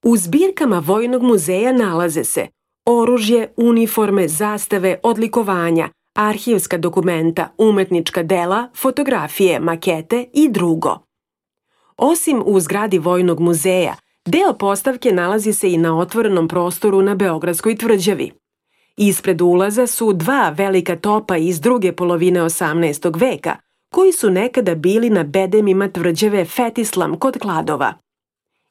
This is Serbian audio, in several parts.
U zbirkama Vojnog muzeja nalaze se oružje, uniforme, zastave, odlikovanja, arhivska dokumenta, umetnička dela, fotografije, makete i drugo. Osim u zgradi Vojnog muzeja, deo postavke nalazi se i na otvorenom prostoru na Beogradskoj tvrđavi. Ispred ulaza su dva velika topa iz druge polovine 18. veka, koji su nekada bili na bedemima tvrđave Fetislam kod Kladova.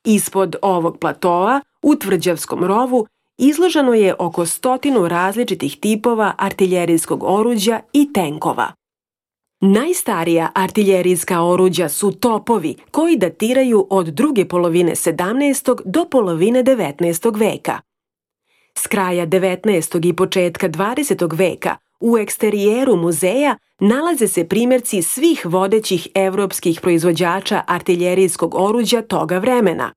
Ispod ovog platoa, u tvrđavskom rovu, izloženo je oko 100 različitih tipova artiljerijskog oruđa i tenkova. Najstarija artiljerijska oruđa su topovi koji datiraju od druge polovine 17. do polovine 19. veka. S kraja 19. i početka 20. veka u eksterijeru muzeja nalaze se primjerci svih vodećih evropskih proizvođača artiljerijskog oruđa toga vremena.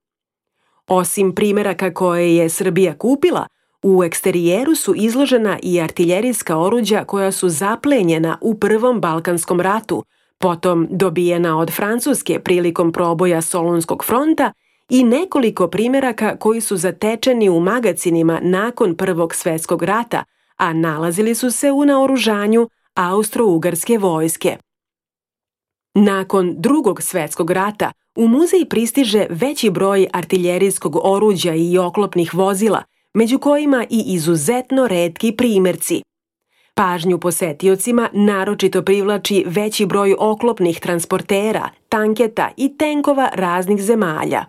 Osim primjeraka koje je Srbija kupila, u eksterijeru su izložena i artiljerijska oruđa koja su zaplenjena u Prvom Balkanskom ratu, potom dobijena od Francuske prilikom proboja Solunskog fronta i nekoliko primjeraka koji su zatečeni u magacinima nakon Prvog svjetskog rata, a nalazili su se u naoružanju Austro-Ugarske vojske. Nakon Drugog svjetskog rata u muzej pristiže veći broj artiljerijskog oruđa i oklopnih vozila, među kojima i izuzetno retki primjerci. Pažnju posetiocima naročito privlači veći broj oklopnih transportera, tanketa i tenkova raznih zemalja.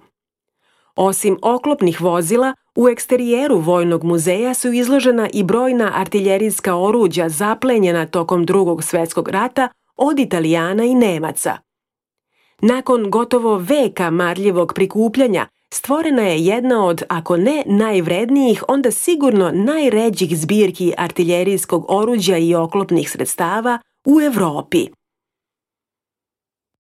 Osim oklopnih vozila, u eksterijeru Vojnog muzeja su izložena i brojna artiljerijska oruđa zaplenjena tokom Drugog svjetskog rata od Italijana i Nemaca. Nakon gotovo veka marljivog prikupljanja, stvorena je jedna od, ako ne najvrednijih, onda sigurno najređih zbirki artiljerijskog oruđa i oklopnih sredstava u Evropi.